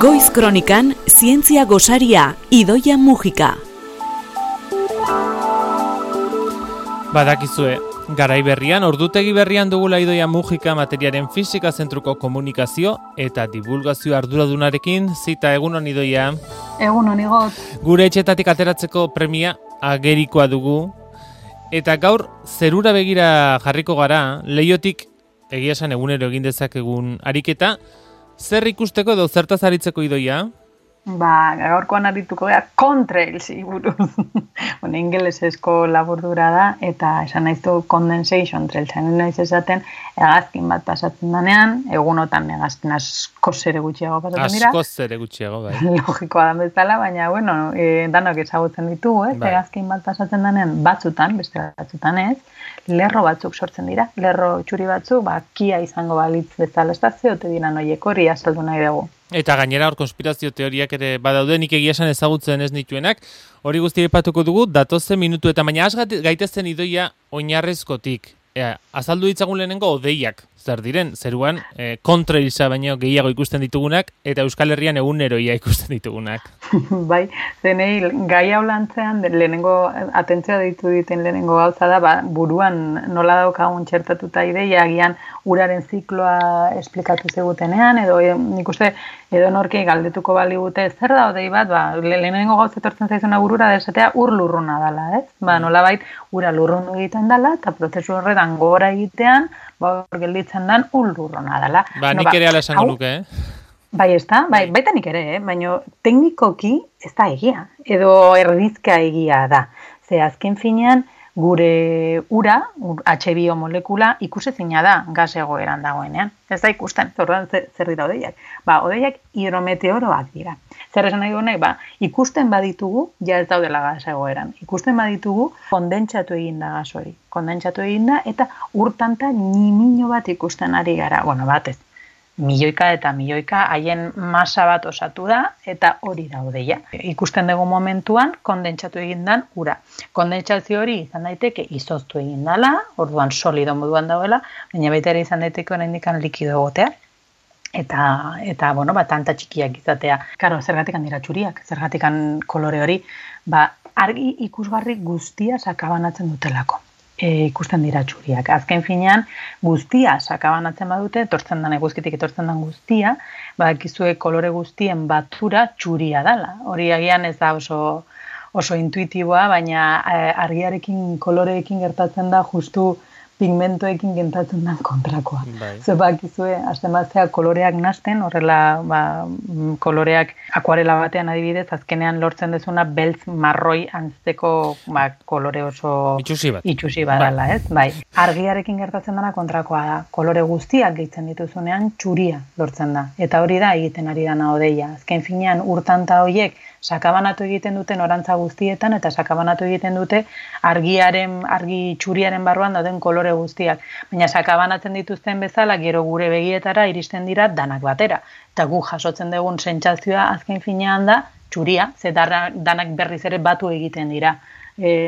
Goiz Kronikan, zientzia gosaria, Idoia Mujika. Badakizue, garai berrian, ordutegi berrian dugula Idoia Mujika materiaren fisika zentruko komunikazio eta divulgazio arduradunarekin, zita egunon Idoia. Egunon igot. Gure etxetatik ateratzeko premia agerikoa dugu, eta gaur zerura begira jarriko gara, Leiotik egia esan egunero egin dezakegun ariketa, zer ikusteko edo zertaz aritzeko Idoia? Gaurkoan arituko gara contrailsi buruz. Ingelesezko laburdura da, eta esan nahizu condensation trailsen naiz esaten, hegazkin bat pasatzen danean, egunotan hegazkin askoz ere gutxiago pasatzen dira. Askoz ere gutxiago, bai. Logikoa da bezala, baina, danok ezagutzen ditugu, ez? Bai. Hegazkin bat pasatzen danean batzutan, beste batzutan ez, lerro batzuk sortzen dira. Lerro txuri batzuk, kia izango balitz bezala estaziote dira noiek hori azaldu nahi dugu. Eta gainera hor konspirazio teoriak ere badaude, nik egia esan ezagutzen ez nituenak, hori guztia aipatuko dugu datozen minutu eta baina has gaitezen Idoia oinarrizkotik. Azaldu ditzagun lehenengo odeiak, zer diren, zeruan kontrailsa baino gehiago ikusten ditugunak eta Euskal Herrian eguneroia ikusten ditugunak. Bai, zenei gai hau lantzean lehenengo atentzioa deitu diten lehenengo gauza da, buruan nola daukagun txertatuta ideia agian uraren zikloa esplikatu zegutenean, edo nik uste edo norki galdetuko baligute zer da odei bat, lehenengo gauza etortzen zaizuna burura desatea ur lurruna dela, ez? Nolabait ura lurrundu egiten dela eta prozesu horretan gora egitean, hor gelditzen dan ur lurruna dela. Nik ere ala esango nuke, Bai, ez da, baita nik ere, baina teknikoki ez da egia, edo erdizka egia da. Ze azken finean, gure ura, H2O molekula, ikusezina da gas egoeran dagoenean. Ez da ikusten, zer dira odeiak. Odeiak hidrometeoroak dira. Zer esan nahi duenak, ikusten baditugu, ja ez daudela gas egoeran. Ikusten baditugu, kondentsatu egin da gas hori. Kondentsatu egin da, eta urtanta nimino bat ikusten ari gara. Batez. Milioika eta milioika haien masa bat osatu da eta hori da odeia. Ikusten dugu momentuan kondentsatu egin dan ura. Kondentsazio hori izan daiteke izoztu egin dela, orduan solido moduan dauela, baina baita ere izan daiteke oraindik likido egotea. Eta tanta txikiak izatea. Karo, zergatikan dira txuriak, zergatikan kolore hori, argi ikusgarri guztia sakabanatzen dutelako. Ikusten dira txuriak. Azken finean, guztia sakabanatzen badute, etortzen den eguzkitik etortzen den guztia, badakizue kolore guztien batura txuria dela. Hori agian ez da oso intuitiboa, baina argiarekin, koloreekin gertatzen da justu pigmentoekin gertatzen den kontrakoa. Zer bakizue, azten batzea koloreak nasten, horrela koloreak akuarela batean adibidez, azkenean lortzen dezuna beltz marroi antzeko kolore oso itxusi badala, ez? Argiarekin gertatzen dena kontrakoa da. Kolore guztiak gehitzen dituzunean txuria lortzen da. Eta hori da egiten ari dana odeia. Azken finean urtanta horiek sakabanatu egiten duten orantza guztietan eta sakabanatu egiten dute argi txuriaren barruan dauden kolore guztiak. Baina sakabanatzen dituzten bezala gero gure begietara iristen dira danak batera. Eta gu jasotzen dugun sentsazioa azken finean da txuria, ze danak berriz ere batu egiten dira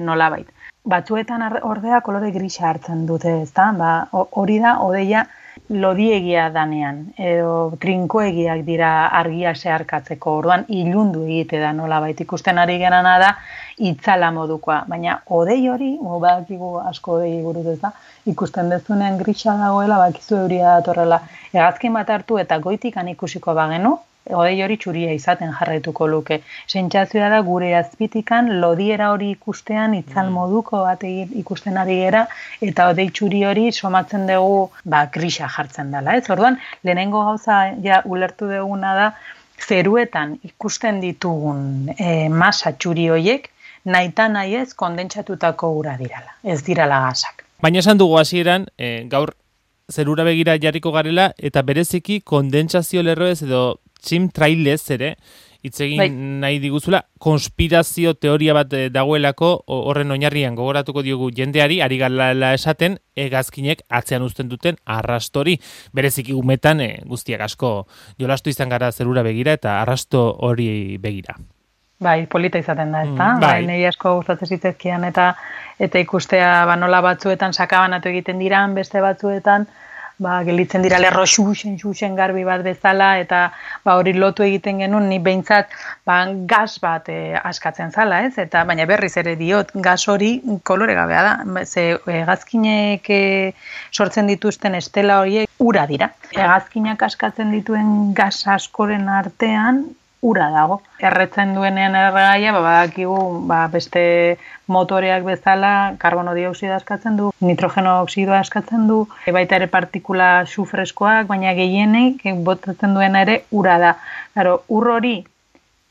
nolabait. Batzuetan ordea kolore grisa hartzen dute, ezta? Hori da odeia lodiegia danean, edo trinkoegiak dira argia zeharkatzeko, orduan ilundu egite da nolabait ikusten ari gerana da itzala modukoa, baina odei hori, badakigu asko odei buruz ez da, ikusten dezunean grisa dagoela, bakizu euria datorrela, hegazkin bat hartu eta goitikan ikusiko bagenu, odei hori txuria izaten jarraituko luke. Sentsazioa da gure azpitikan lodiera hori ikustean itzal moduko bat ikusten ari gera eta odei txuri hori somatzen dugu grisa jartzen dela. Orduan, lehenengo gauza ulertu duguna da zeruetan ikusten ditugun masa txuri horiek nahita nahi ez kondentsatutako ura dirala, ez dirala gasak. Baina esan dugu hasieran, gaur zerura begira jarriko garela eta bereziki kondentsazio lerroez edo chemtrailez ere, hitz egin nahi diguzula, konspirazio teoria bat dagoelako horren oinarrian gogoratuko diogu jendeari, ari galala esaten, hegazkinek atzean uzten duten arrastori. Bereziki umetan guztiak asko jolastu izan gara zerura begira eta arrasto hori begira. Polita izaten da, ezta? Nei asko gustatzen zitzezkian eta ikustea nola batzuetan sakabanatu egiten diran, beste batzuetan gelitzen dira lerro xuxen garbi bat bezala, eta hori lotu egiten genuen, ni behintzat gas bat askatzen zala, ez? Eta baina berriz ere diot, gas hori kolore gabea da. Ze hegazkinek sortzen dituzten estela horiek ura dira. Hegazkinak askatzen dituen gas askoren artean ura dago. Erretzen duenean erregaia, badakigu beste motoreak bezala karbono dioxidoa askatzen du, nitrogeno oxidoa askatzen du, baita ere partikula sufreskoak, baina gehienek botatzen duena ere ura da. Claro, ur hori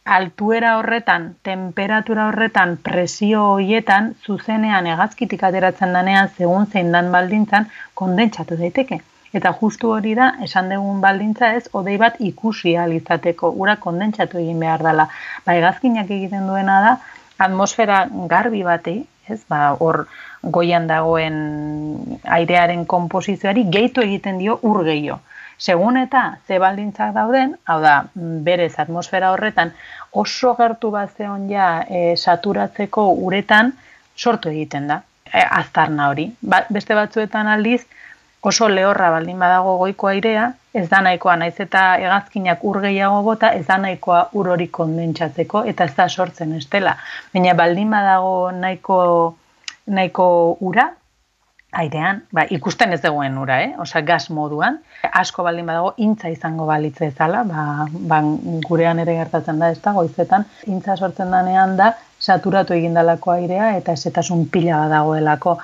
altuera horretan, temperatura horretan, presio horietan, zuzenean hegazkitik ateratzen danean, segun zein dan baldintzan, kondentsatu daiteke. Eta justu hori da, esan dugun baldintza ez, hodei bat ikusi ahal izateko, ura kondentsatu egin behar dela. Hegazkinak egiten duena da, atmosfera garbi batei, ez, hor goian dagoen airearen konposizioari gehitu egiten dio ur gehiago. Segun eta ze baldintzak dauden, hau da, berez atmosfera horretan oso gertu bat zeon ja saturatzeko uretan sortu egiten da, aztarna hori. Beste batzuetan aldiz, oso lehorra baldin badago goiko airea, ez da nahikoa, naiz eta hegazkinak ur gehiago bota, ez da nahikoa ur hori kondentsatzeko, eta ez da sortzen estela. Baina baldin badago nahiko ura, airean, ikusten ez dagoen ura, osea gas moduan, asko baldin badago intza izango balitze ezala, gurean ere gertatzen da, ez da, goizetan, intza sortzen danean da, saturatu egindalako airea eta esetasun pila badagoelako,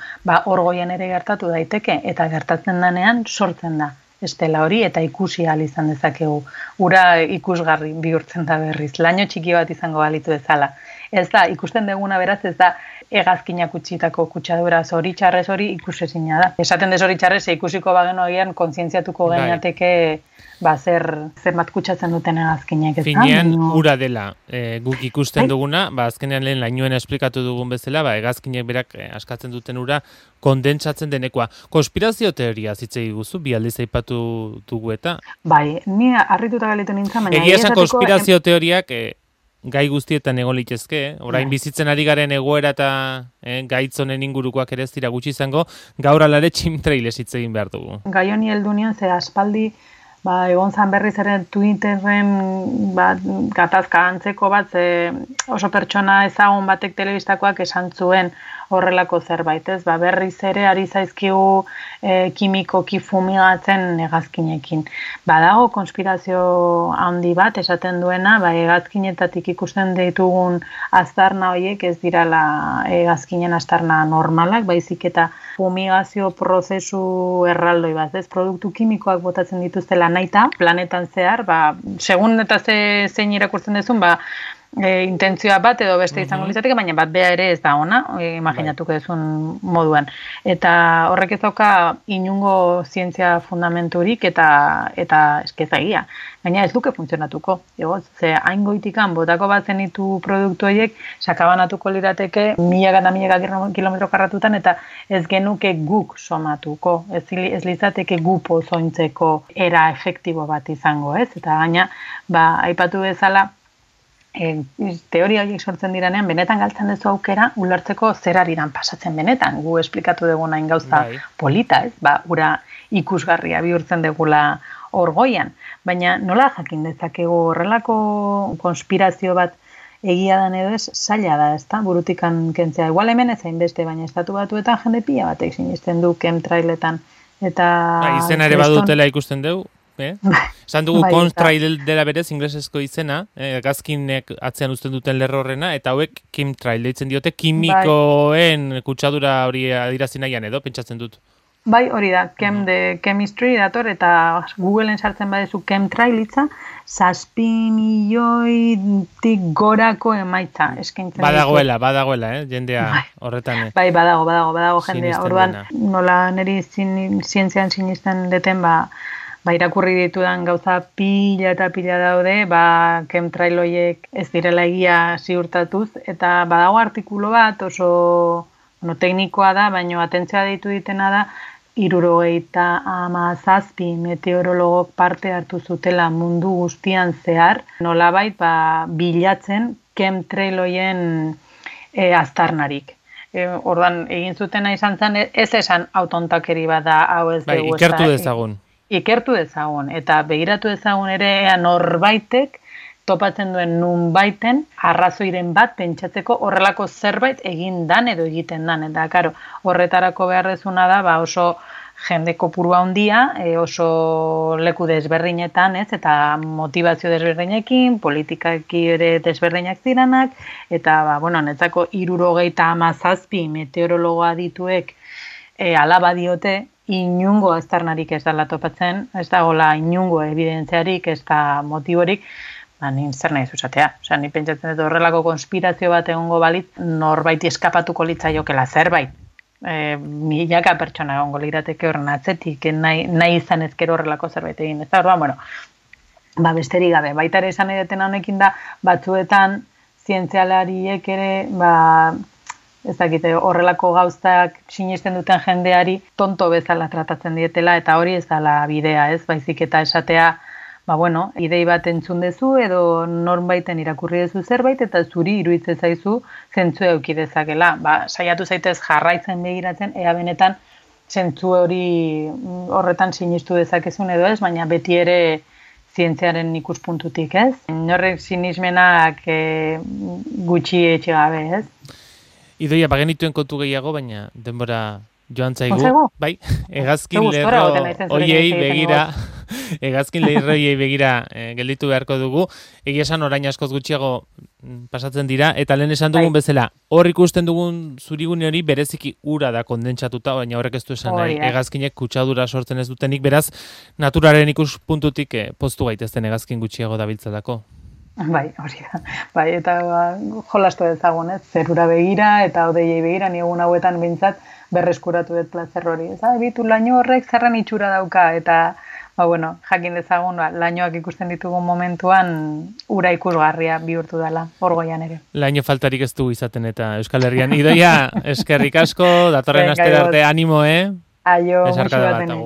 hor goian ere gertatu daiteke, eta gertatzen danean sortzen da estela hori, eta ikusi ahal izan dezakegu. Ura ikusgarri bihurtzen da berriz, laino txiki bat izango balitu ezala. Ez da, ikusten duguna beraz, ez da, hegazkinak utzitako kutsadura zoritxarrez hori ikusezina da. Esaten de zoritxarrez, ikusiko bageno agian kontzientziatuko gainateke zenbat kutsatzen duten hegazkinak. Finean ura dela guk ikusten duguna, azkenean lehen lainoen esplikatu dugun bezala, hegazkinek berak askatzen duten ura kondentsatzen denekoa. Konspirazio teoria zitzei guzu, bi aldiz aipatu dugu eta? Bai, ni harrituta galitu nintzen, baina egia esan konspirazio teoriak gai guztietan egon litezke, orain bizitzen ari garen egoera eta gaitzonen ingurukoak ere ez dira gutxi izango, gaur alare chimtrailez hitz egin behar dugu. Gai honi heldu nion, ze aspaldi egon zan berriz ere Twitterren gatazka antzeko bat, oso pertsona ezagun batek telebistakoak esan zuen horrelako zerbait, ez? Berriz ere ari zaizkigu kimikoki fumigatzen hegazkinekin. Badago konspirazio handi bat esaten duena, hegazkinetatik ikusten ditugun aztarna horiek ez dirala hegazkinen aztarna normalak, baizik eta fumigazio prozesu erraldoi bat, ez? Produktu kimikoak botatzen dituztela nahita, planetan zehar, segun eta zein irakurtzen dezun, intentzioa bat edo beste izango litzateke, baina bat bea ere ez da ona, imaginatuko dezun moduan. Eta horrek ez dauka inungo zientzia fundamenturik eta eskezagia. Baina ez duke funtzionatuko. Ze hain goitikan botako bat zenitu produktu horiek, sakabanatuko lirateke milaka eta milaka kilometro karratutan eta ez genuke guk somatuko. Ez litzateke gu pozointzeko era efektibo bat izango, ez? Eta gaina, aipatu bezala, teoria horiek sortzen diranean, benetan galtzen duzu aukera, ulertzeko zer ariran pasatzen benetan. Gu esplikatu duguna gauza polita, ez? Ura ikusgarria bihurtzen dugula hor goian. Baina nola jakin dezakegu horrelako konspirazio bat egia dan edo ez, zaila da, ez da, burutikan kentzea. Igual hemen ez hainbeste, baina estatu batuetan jende pila batek sinisten du chemtrailetan. Izena ere badutela ikusten dugu? Esan dugu contrail dela berez inglesezko izena, hegazkinek atzean uzten duten lerro horrena, eta hauek chemtrail deitzen diote, kimikoen kutsadura hori adirazi nahian edo, pentsatzen dut. Bai, hori da, chemistry dator, eta Googleen sartzen badezu chemtrail hitza, 7 milioitik gorako emaitza eskaintzen. Badagoela, jendea horretan. Bai, badago jendea. Orduan, nola niri zientzian sinisten deten, irakurri ditudan gauza pila eta pila daude, chemtrail horiek ez direla egia ziurtatuz, eta badago artikulu bat oso teknikoa da, baina atentzioa deitu ditena da, 77 meteorologok parte hartu zutela mundu guztian zehar, nolabait bilatzen chemtrail horien aztarnarik. ordan egin zutena izan zen, ez esan autontakeri bat da, hau ez bai, dugu. Ikertu dezagun. Ikertu dezagun, eta begiratu dezagun ere ea norbaitek topatzen duen nunbaiten arrazoiren bat pentsatzeko horrelako zerbait egin dan edo egiten dan. Eta, karo, horretarako beharrezuna da, oso jende kopurua handia, oso leku desberdinetan, ez, eta motivazio desberdinekin, politikaki ere desberdinak ziranak, eta, netzako 77 meteorologoa dituek alaba diote, inungo aztarnarik ez dela topatzen, ez dagoela inungo evidentziarik, ez da motiborik, nin zer nahi zuzatea. Osea, ni pentsatzen dut horrelako konspirazio bat egongo balit, norbaiti eskapatuko litzaiokela zerbait. Milaka pertsona egongo lirateke horren atzetik, nahi izan ezkero horrelako zerbait egin. Ez da, orduan, besterik gabe. Baita ere esan edetena honekin da, batzuetan zientzialariek ere, ez dakite, horrelako gauztak sinesten duten jendeari tonto bezala tratatzen dietela, eta hori ez dela bidea, ez? Baizik eta esatea, idei bat entzun dezu edo norbaiten irakurri dezu zerbait eta zuri iruditzen zaizu zentzu eduki dezakela. Saiatu zaitez jarraitzen begiratzen, ea benetan zentzu hori horretan sinistu dezakezun edo ez, baina beti ere zientziaren ikuspuntutik, ez? Horrek sinismenak gutxi etxegabe, ez? Idoia, bagenituen kontu gehiago, baina denbora joan zaigu. Bai, hegazkin lerro hoiei begira, gelditu beharko dugu. Egia esan orain askoz gutxiago pasatzen dira, eta lehen esan dugun bezala, hor ikusten dugun zurigune hori bereziki ura da kondentsatuta, baina horrek ez du esan nahi, hegazkinek kutsadura sortzen ez dutenik, beraz, naturaren ikuspuntutik poztu gaitezten hegazkin gutxiago dabiltzalako. Bai, hori da. Bai, eta jolastu dezagun, ez? Zerura begira eta hodeiei begira, ni egun hauetan behintzat berreskuratu dut plazer hori. Bitu laino horrek zerren itxura dauka, eta jakin dezagun, lainoak ikusten ditugun momentuan ura ikusgarria bihurtu dela, orgoian ere. Laino faltarik ez du izaten eta Euskal Herrian. Idoia, eskerrik asko, datorren astera arte animo, Aio, musu baten.